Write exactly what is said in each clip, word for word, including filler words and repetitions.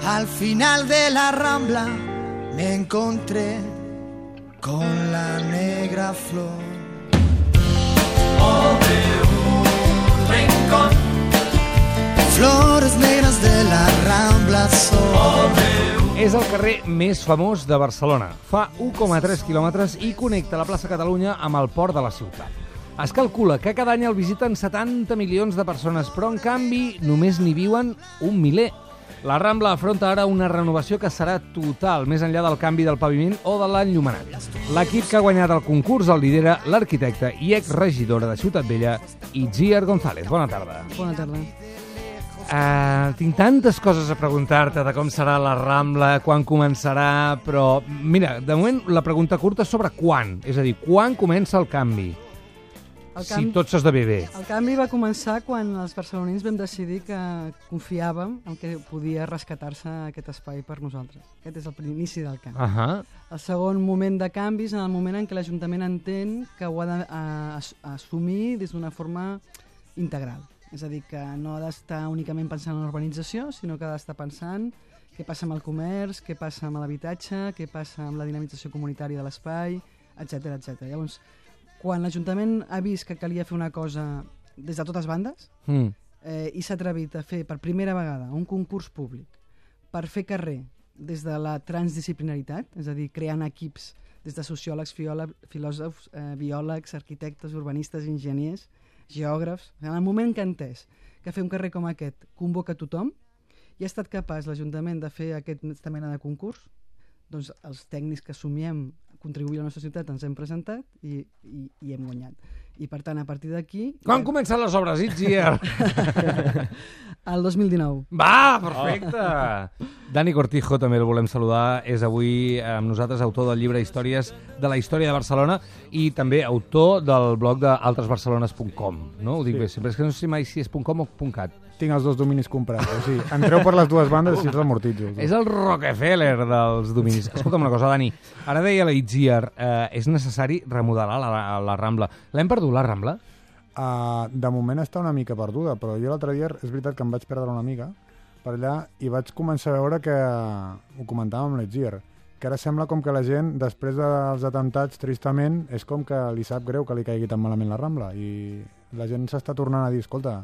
Al final de la Rambla me encontré con la negra flor. Oh, de un rincón, flores negras de la Rambla son. Oh, és el carrer més famós de Barcelona. Fa u coma tres quilòmetres i connecta la plaça Catalunya amb el port de la ciutat. Es calcula que cada any el visiten setanta milions de persones, però en canvi només n'hi viuen un miler. La Rambla afronta ara una renovació que serà total, més enllà del canvi del paviment o de l'enllumenat. L'equip que ha guanyat el concurs el lidera l'arquitecte i exregidora de Ciutat Vella, Itziar González. Bona tarda. Bona tarda. Uh, tinc tantes coses a preguntar-te de com serà la Rambla, quan començarà, però mira, de moment la pregunta curta és sobre quan, és a dir, quan comença el canvi, el si canvi, tot s'esdevé bé. El canvi va començar quan els barcelonins vam decidir que confiàvem en que podia rescatar-se aquest espai per nosaltres. Aquest és l'inici del canvi. Uh -huh. El segon moment de canvis en el moment en què l'Ajuntament entén que ho ha d'assumir des d'una forma integral. És a dir, que no ha d'estar únicament pensant en l'urbanització, sinó que ha d'estar pensant què passa amb el comerç, què passa amb l'habitatge, què passa amb la dinamització comunitària de l'espai, etcètera, etcètera. Llavors, quan l'Ajuntament ha vist que calia fer una cosa des de totes bandes mm. eh, i s'ha atrevit a fer per primera vegada un concurs públic per fer carrer des de la transdisciplinaritat, és a dir, creant equips des de sociòlegs, filòsofs, eh, biòlegs, arquitectes, urbanistes, enginyers, geògrafs, en el moment que ha entès que fer un carrer com aquest convoca tothom i ha estat capaç l'Ajuntament de fer aquesta mena de concurs, doncs els tècnics que somiem contribuir a la nostra ciutat ens hem presentat i, i, i hem guanyat. I per tant, a partir d'aquí... Quan comencen les obres, Itziar? El dos mil dinou. Va, perfecte! Oh. Dani Cortijo, també el volem saludar, és avui amb nosaltres autor del llibre Històries de la història de Barcelona i també autor del blog de altres barcelones punt com, no? Ho dic sí. bé, sempre és que no sé mai si és .com o .cat. Tinc els dos dominis comprats, o sigui, entreu per les dues bandes i els amortitzo. És el Rockefeller dels dominis. Escolta'm una cosa, Dani, ara deia la Itziar, eh, és necessari remodelar la, la Rambla. L'hem perdut, la Rambla? Uh, de moment està una mica perduda, però jo l'altre dia és veritat que em vaig perdre una mica per allà i vaig començar a veure que, ho comentàvem amb l'Itziar, que ara sembla com que la gent, després dels atemptats, tristament, és com que li sap greu que li caigui tan malament la Rambla i la gent s'està tornant a dir, escolta,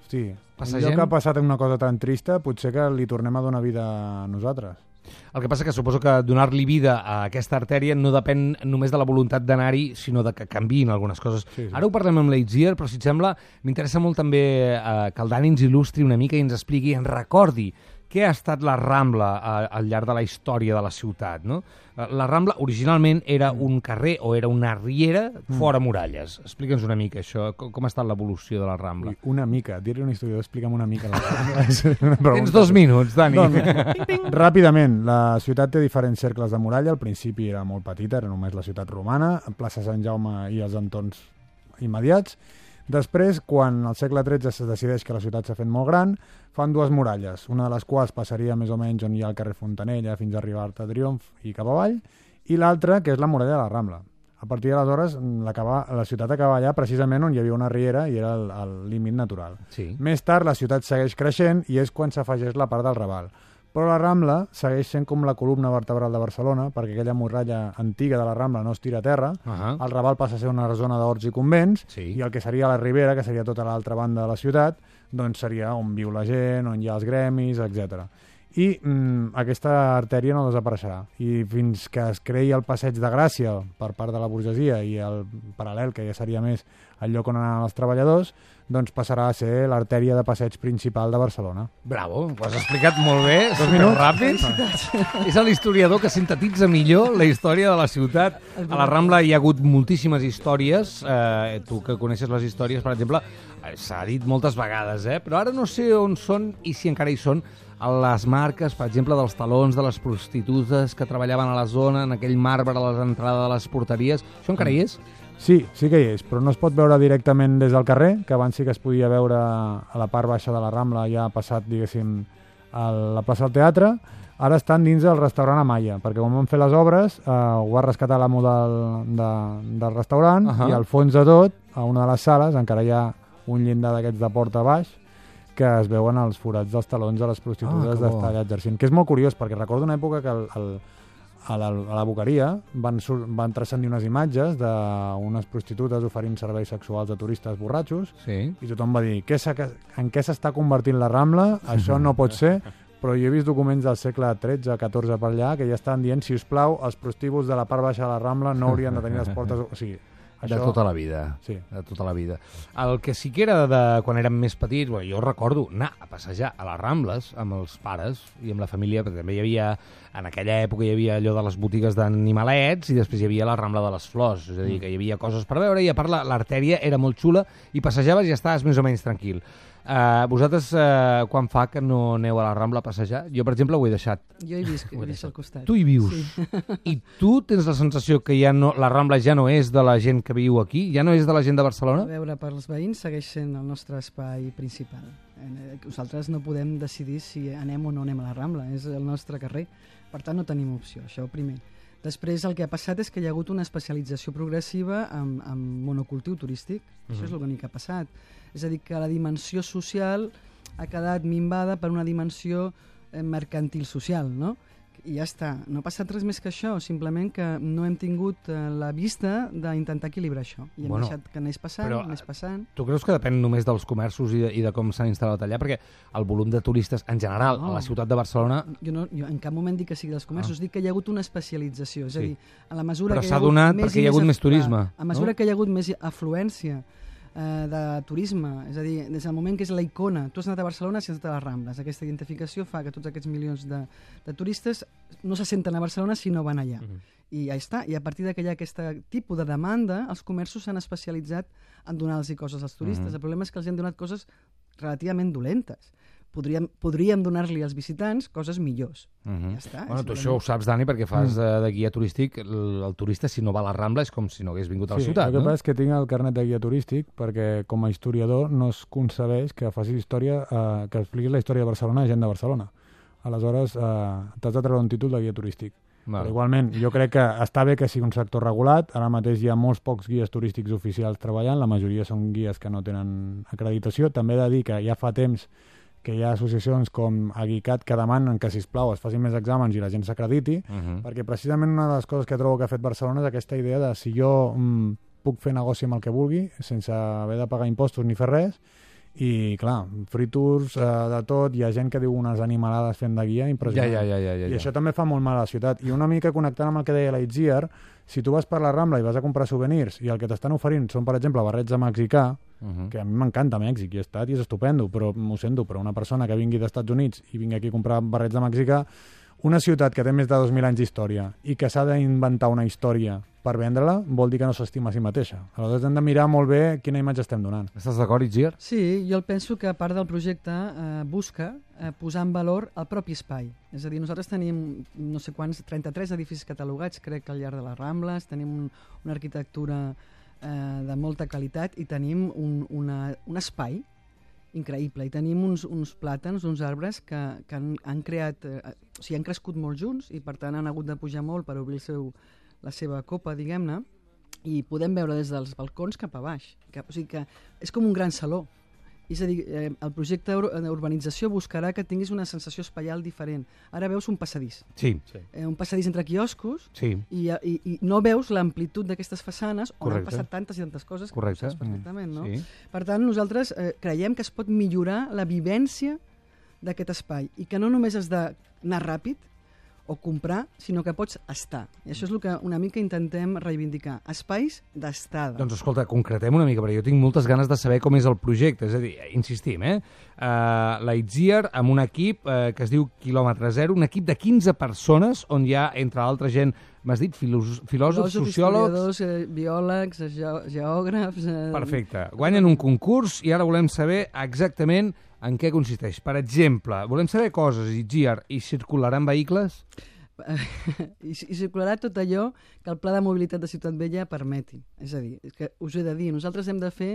hosti, Passa allò gent... que ha passat una cosa tan trista, potser que li tornem a donar vida a nosaltres. El que passa que suposo que donar-li vida a aquesta artèria no depèn només de la voluntat d'anar-hi, sinó de que canviïn algunes coses. Sí, sí. Ara ho parlem amb l'Itziar, però si et sembla, m'interessa molt també eh, que el Dani ens il·lustri una mica i ens expliqui, ens recordi què ha estat la Rambla a, al llarg de la història de la ciutat, no? La Rambla originalment era un carrer o era una riera fora muralles. Explica'ns una mica això, com, com ha estat l'evolució de la Rambla. Una mica, dir-li una història, explica'm una mica la Rambla. Tens dos minuts, Dani. Doncs, ràpidament, la ciutat té diferents cercles de muralla, al principi era molt petita, era només la ciutat romana, plaça Sant Jaume i els entorns immediats. Després, quan al segle tretze es decideix que la ciutat s'ha fet molt gran, fan dues muralles, una de les quals passaria més o menys on hi ha el carrer Fontanella fins a arribar a Triomf i cap avall, i l'altra, que és la muralla de la Rambla. A partir d'aleshores, la, la ciutat acaba allà precisament on hi havia una riera i era el, el límit natural. Sí. Més tard, la ciutat segueix creixent i és quan s'afegeix la part del Raval. Però la Rambla segueix sent com la columna vertebral de Barcelona, perquè aquella muralla antiga de la Rambla no es tira a terra, uh -huh. el Raval passa a ser una zona d'horts i convents, sí. i el que seria la Ribera, que seria tota l'altra banda de la ciutat, doncs seria on viu la gent, on hi ha els gremis, etcètera. I mm, aquesta artèria no desapareixerà. I fins que es creï el Passeig de Gràcia per part de la burgesia i el paral·lel, que ja seria més el lloc on anaven els treballadors, doncs passarà a ser l'artèria de passeig principal de Barcelona. Bravo, ho has explicat molt bé, superràpid. És l'historiador que sintetitza millor la història de la ciutat. A la Rambla hi ha hagut moltíssimes històries, eh, tu que coneixes les històries, per exemple, s'ha dit moltes vegades, eh? Però ara no sé on són i si encara hi són les marques, per exemple, dels talons de les prostitutes que treballaven a la zona, en aquell marbre a l'entrada de les porteries. Això encara hi és? Sí, sí que hi és, però no es pot veure directament des del carrer, que abans sí que es podia veure a la part baixa de la Rambla, ja passat, diguéssim, a la plaça del Teatre. Ara estan dins del restaurant Amaya, perquè quan van fer les obres eh, ho va rescatar l'amo del, de, del restaurant, uh -huh. i al fons de tot, a una de les sales, encara hi ha un llindar d'aquests de porta baix, que es veuen els forats dels talons de les prostitutes Ah, d'estar allà exercint. Que és molt curiós, perquè recordo una època que el, el, a, la, a la Boqueria van, sur, van transcendir unes imatges d'unes prostitutes oferint serveis sexuals a turistes borratxos, sí. i tothom va dir, què en què s'està convertint la Rambla? Això no pot ser. Però jo he vist documents del segle tretze, catorze per allà que ja estan dient, si us plau, els prostíbuls de la part baixa de la Rambla no haurien de tenir les portes... O sigui, això... De tota la vida. Sí. De tota la vida. El que sí que era de quan érem més petits, bueno, jo recordo anar a passejar a les Rambles amb els pares i amb la família, perquè també hi havia, en aquella època hi havia allò de les botigues d'animalets i després hi havia la Rambla de les Flors, és a dir, que hi havia coses per veure i a part l'artèria era molt xula i passejaves i estaves més o menys tranquil. Uh, vosaltres, uh, quan fa que no aneu a la Rambla a passejar? Jo, per exemple, ho he deixat. Jo he vist, he vist al costat. Tu hi vius. Sí. I tu tens la sensació que ja no, la Rambla ja no és de la gent que viu aquí? Ja no és de la gent de Barcelona? A veure, per als veïns segueix sent el nostre espai principal. Nosaltres no podem decidir si anem o no anem a la Rambla, és el nostre carrer. Per tant, no tenim opció, això primer. Després el que ha passat és que hi ha hagut una especialització progressiva en, en monocultiu turístic. Mm-hmm. Això és l'únic que ha passat. És a dir, que la dimensió social ha quedat minvada per una dimensió eh, mercantil social, no? I ja està. No ha passat res més que això, simplement que no hem tingut eh, la vista d'intentar equilibrar això. I hem bueno, deixat que anés passant, però, anés passant. Tu creus que depèn només dels comerços i de, i de com s'han instal·lat allà? Perquè el volum de turistes, en general, no. a la ciutat de Barcelona... Jo, no, jo en cap moment dic que sigui dels comerços, ah. dic que hi ha hagut una especialització. És sí. a dir, a la mesura però que s'ha donat més perquè hi ha hagut més turisme. A, a mesura no? que hi ha hagut més afluència de turisme, és a dir, des del moment que és la icona, tu has anat a Barcelona, si has anat a les Rambles, aquesta identificació fa que tots aquests milions de, de turistes no se senten a Barcelona si no van allà. Uh-huh. I ja està, i a partir que hi ha aquest tipus de demanda, els comerços s'han especialitzat en donar-los coses als turistes. Uh-huh. El problema és que els han donat coses relativament dolentes. Podríem, podríem donar-li als visitants coses millors. Uh-huh. Ja està. Bueno, tu això ho saps, Dani, perquè fas uh, de guia turístic. El, el turista, si no va a la Rambla, és com si no hagués vingut a la sí, ciutat. El que no? passa és que tinc el carnet de guia turístic perquè, com a historiador, no es concebeix que facis història, eh, que expliquis la història de Barcelona a gent de Barcelona. Aleshores, eh, t'has de treure un títol de guia turístic. Val. Però igualment, jo crec que està bé que sigui un sector regulat. Ara mateix hi ha molts pocs guies turístics oficials treballant. La majoria són guies que no tenen acreditació. També he de dir que ja fa temps que hi ha associacions com Aguicat que demanen que, sisplau, es facin més exàmens i la gent s'acrediti, uh-huh. perquè precisament una de les coses que trobo que ha fet Barcelona és aquesta idea de si jo mm, puc fer negoci amb el que vulgui, sense haver de pagar impostos ni fer res, i, clar, free tours, eh, de tot, hi ha gent que diu unes animalades fent de guia impressionant. Ja, ja, ja, ja, ja, I això també fa molt mal a la ciutat. I una mica connectant amb el que deia la Itziar, si tu vas per la Rambla i vas a comprar souvenirs i el que t'estan oferint són, per exemple, barrets de mexicà, uh-huh. que a mi m'encanta Mèxic, i he estat i és estupendo, però m'ho sento, però una persona que vingui dels Estats Units i vingui aquí a comprar barrets de mexicà, una ciutat que té més de dos mil anys d'història i que s'ha d'inventar una història per vendre-la, vol dir que no s'estima a si mateixa. Aleshores hem de mirar molt bé quina imatge estem donant. Estàs d'acord, Itziar? Sí, jo penso que a part del projecte eh, busca eh, posar en valor el propi espai. És a dir, nosaltres tenim no sé quants, trenta-tres edificis catalogats, crec que al llarg de les Rambles, tenim un, una arquitectura eh, de molta qualitat i tenim un, una, un espai increïble. I tenim uns, uns plàtans, uns arbres que, que han, han creat, eh, o sigui, han crescut molt junts i per tant han hagut de pujar molt per obrir el seu, la seva copa, diguem-ne, i podem veure des dels balcons cap a baix. Que, o sigui que és com un gran saló. És a dir, eh, el projecte d'urbanització buscarà que tinguis una sensació espaial diferent. Ara veus un passadís. Sí. sí. Eh, un passadís entre quioscos sí. i, i, i no veus l'amplitud d'aquestes façanes on Correcte. han passat tantes i tantes coses Correcte. que saps perfectament, no? Sí. Per tant, nosaltres eh, creiem que es pot millorar la vivència d'aquest espai i que no només has d'anar ràpid o comprar, sinó que pots estar. I això és el que una mica intentem reivindicar. Espais d'estada. Doncs escolta, concretem una mica, perquè jo tinc moltes ganes de saber com és el projecte. És a dir, insistim, eh? Uh, la Itziar amb un equip uh, que es diu Quilòmetre Zero, un equip de quinze persones on hi ha, entre l'altra gent, m'has dit, filòsofs, filòsofs sociòlegs... Eh, biòlegs, ge geògrafs... Eh... Perfecte. Guanyen un concurs i ara volem saber exactament en què consisteix. Per exemple, volem saber coses, Itziar, i circularan vehicles? I, I circularà tot allò que el Pla de Mobilitat de Ciutat Vella permeti. És a dir, és que us he de dir, nosaltres hem de fer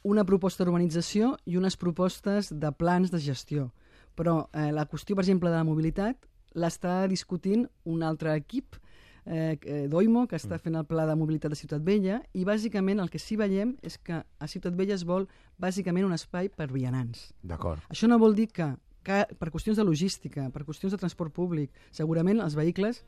una proposta d'urbanització i unes propostes de plans de gestió. Però eh, la qüestió, per exemple, de la mobilitat l'està discutint un altre equip eh, d'Oimo, que està fent el pla de mobilitat de Ciutat Vella, i bàsicament el que sí veiem és que a Ciutat Vella es vol bàsicament un espai per vianants. D'acord. Això no vol dir que, que per qüestions de logística, per qüestions de transport públic, segurament els vehicles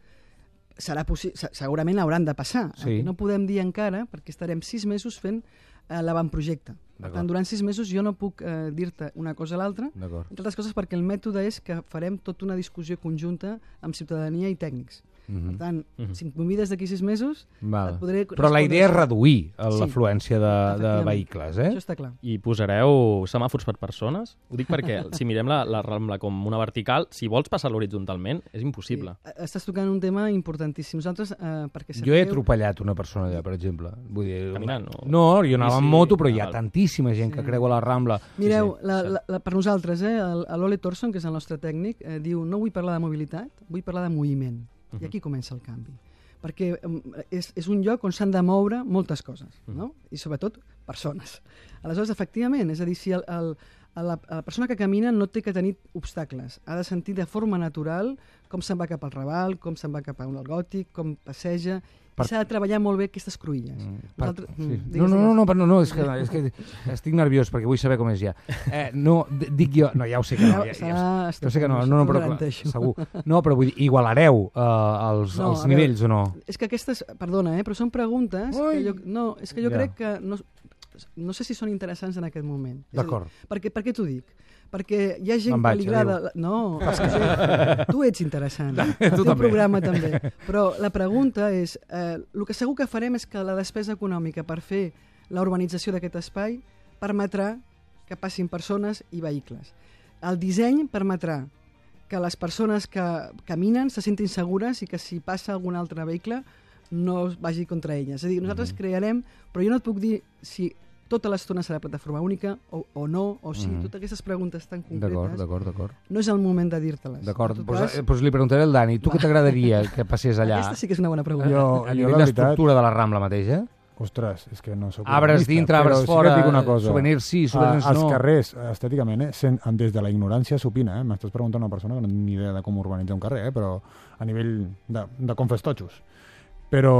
serà segurament hauran de passar. Sí. El que no podem dir encara, perquè estarem sis mesos fent eh, l'avantprojecte. Per tant, durant sis mesos jo no puc eh, dir-te una cosa a l'altra, entre altres coses perquè el mètode és que farem tota una discussió conjunta amb ciutadania i tècnics. Mm-hmm. Per tant, mm-hmm. si em convides d'aquí sis mesos, Val. et podré... Però la idea és reduir sí, l'afluència de, de vehicles, eh? Això està clar. I posareu semàfors per persones? Ho dic perquè si mirem la, la Rambla com una vertical, si vols passar horitzontalment, és impossible. Sí. Estàs tocant un tema importantíssim. Nosaltres, eh, perquè sapigueu... Jo he atropellat una persona allà, per exemple. Vull dir, caminant, no? No, jo anava sí, en moto, però hi ha tantíssima gent sí. que creua la Rambla. Mireu, sí, sí. La, la, la, per nosaltres, eh, l'Ole Thorson, que és el nostre tècnic, eh, diu no vull parlar de mobilitat, vull parlar de moviment. I aquí comença el canvi. Perquè és, és un lloc on s'han de moure moltes coses, no? I sobretot persones. Aleshores, efectivament, és a dir, si el, el, la, la persona que camina no té que tenir obstacles, ha de sentir de forma natural com se'n va cap al Raval, com se'n va cap a un Gòtic, com passeja... Per... S'ha de treballar molt bé aquestes cruïlles. Mm, per... Nosaltres... sí. mm, no, no, no, no, no, no és, que, és que estic nerviós perquè vull saber com és ja. Eh, no, dic jo... No, ja ho sé que no. Ja, ja, ja, jo sé que no, no, no però segur. No, però vull dir, igualareu uh, els, no, els nivells veure, o no? És que aquestes... Perdona, eh, però són preguntes... Que jo, no, és que jo ja. crec que... No, no sé si són interessants en aquest moment. D'acord. Per què, per què t'ho dic? Perquè hi ha gent vaig, que li agrada... No, perquè tu ets interessant. El teu programa també. Però la pregunta és, eh, el que segur que farem és que la despesa econòmica per fer la urbanització d'aquest espai permetrà que passin persones i vehicles. El disseny permetrà que les persones que caminen se sentin segures i que si passa algun altre vehicle no vagi contra elles. És a dir, nosaltres mm. crearem, però jo no et puc dir si tota l'estona serà plataforma única o, o no, o sí, mm. totes aquestes preguntes tan concretes. D'acord, d'acord. No és el moment de dir-te-les. D'acord, doncs cas... pues li preguntaré al Dani, tu què t'agradaria que passés allà? Aquesta sí que és una bona pregunta. Jo, a nivell d'estructura de la Rambla mateixa? Ostres, és que no soc... Arbres dintre, arbres fora, sí souvenirs sí, souvenirs no. Els carrers, estèticament, eh, sen, des de la ignorància s'opina, eh? M'estàs preguntant una persona que no té ni idea de com urbanitzar un carrer, eh? Però a nivell de, de com fes totxos. Però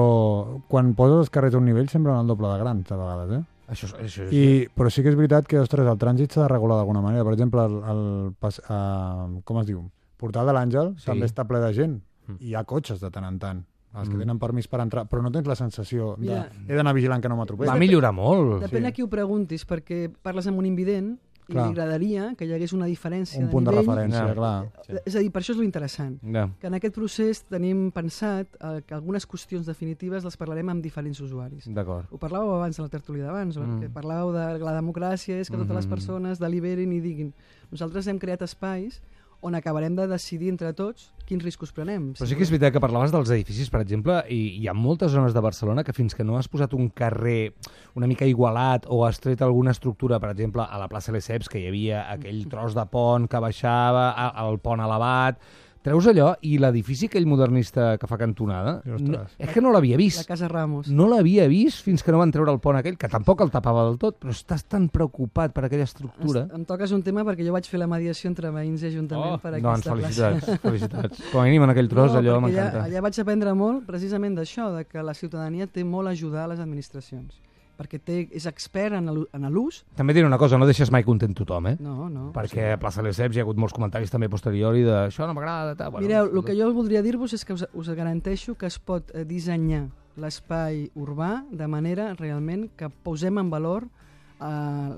quan poses els carrers a un nivell semblen el doble de grans, a vegades, eh? Això, això, això. I, però sí que és veritat que, ostres, el trànsit s'ha de regular d'alguna manera. Per exemple, el, el pas, uh, com es diu? Portal de l'Àngel sí. també està ple de gent. Mm. Hi ha cotxes de tant en tant. Els que tenen permís per entrar, però no tens la sensació de Mira, he d'anar vigilant que no m'atropelli. Va millorar molt. Depèn sí. a qui ho preguntis, perquè parles amb un invident i clar. Li agradaria que hi hagués una diferència un de punt nivell. de referència, ja. clar. És a dir, per això és lo interessant. Ja. Que en aquest procés tenim pensat eh, que algunes qüestions definitives les parlarem amb diferents usuaris. D'acord. Ho parlàveu abans de la tertúlia d'abans, mm. que parlàveu de la democràcia, és que totes mm -hmm. les persones deliberin i diguin. Nosaltres hem creat espais on acabarem de decidir entre tots quins riscos prenem. Però sí que és veritat que parlaves dels edificis, per exemple, i hi ha moltes zones de Barcelona que fins que no has posat un carrer una mica igualat o has tret alguna estructura, per exemple, a la plaça Lesseps, que hi havia aquell tros de pont que baixava, al pont elevat... Treus allò i l'edifici aquell modernista que fa cantonada, no, és que no l'havia vist. La Casa Ramos. No l'havia vist fins que no van treure el pont aquell, que tampoc el tapava del tot, però estàs tan preocupat per aquella estructura. Em toques un tema perquè jo vaig fer la mediació entre veïns i ajuntament oh, per aquesta doncs, felicitats, plaça. Felicitats. Com a mínim en aquell tros, no, allò m'encanta. Allà, allà vaig aprendre molt precisament d'això, de que la ciutadania té molt a ajudar a les administracions. Perquè té, és expert en l'ús. També diré una cosa, no deixes mai content tothom, eh? No, no. Perquè a Plaça Lesseps hi ha hagut molts comentaris també posteriori de això no m'agrada... Bueno, mireu, el que jo voldria dir-vos és que us, us garanteixo que es pot dissenyar l'espai urbà de manera realment que posem en valor eh,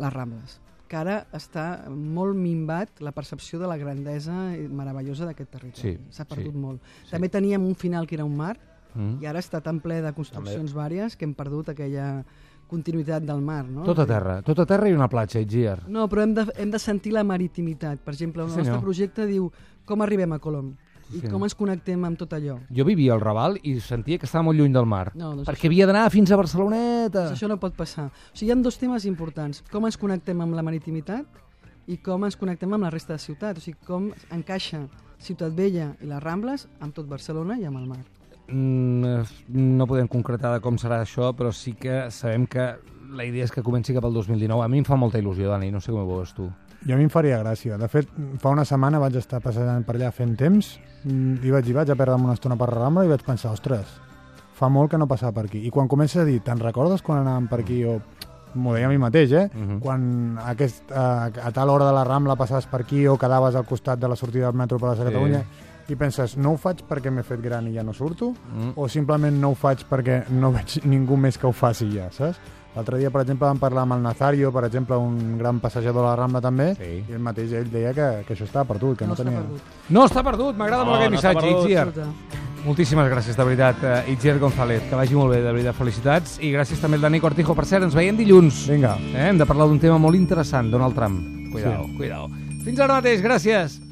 les Rambles, que ara està molt minvat la percepció de la grandesa meravellosa d'aquest territori. S'ha sí, perdut sí, molt. Sí. També teníem un final que era un mar, mm. i ara està tan ple de construccions també. Vàries que hem perdut aquella continuïtat del mar, no? Tot a terra, tot a terra i una platja, Itziar. No, però hem de, hem de sentir la maritimitat. Per exemple, el sí, nostre projecte diu com arribem a Colom i sí, com ens connectem amb tot allò. Jo vivia al Raval i sentia que estava molt lluny del mar, no, doncs perquè això... havia d'anar fins a Barceloneta. Doncs això no pot passar. O sigui, hi ha dos temes importants. Com ens connectem amb la maritimitat i com ens connectem amb la resta de ciutat. O sigui, com encaixa Ciutat Vella i les Rambles amb tot Barcelona i amb el mar. No podem concretar de com serà això, però sí que sabem que la idea és que comenci cap al dos mil dinou. A mi em fa molta il·lusió, Dani, no sé com ho veus tu. Jo a mi em faria gràcia. De fet, fa una setmana vaig estar passejant per allà fent temps i vaig, i vaig a perdre'm una estona per la Rambla i vaig pensar, ostres, fa molt que no passava per aquí. I quan comença a dir, te'n recordes quan anàvem per aquí? O m'ho deia a mi mateix, eh? Uh -huh. Quan aquest, a, a tal hora de la Rambla passaves per aquí o quedaves al costat de la sortida del metro per la sí. Catalunya i penses, no ho faig perquè m'he fet gran i ja no surto? Mm. O simplement no ho faig perquè no veig ningú més que ho faci ja, saps? L'altre dia, per exemple, vam parlar amb el Nazario, per exemple, un gran passejador de la Rambla també, sí. I el mateix ell deia que, que això està perdut, que no, no tenia... Perdut. No està perdut, m'agrada no, molt aquest no missatge, Itziar. Moltíssimes gràcies, de veritat, uh, Itziar González, que vagi molt bé, de veritat, felicitats, i gràcies també al Dani Cortijo. Per cert, ens veiem dilluns. Vinga. Eh? Hem de parlar d'un tema molt interessant, Donald Trump. Cuidao, sí. cuidao. Fins ara mateix, gràcies.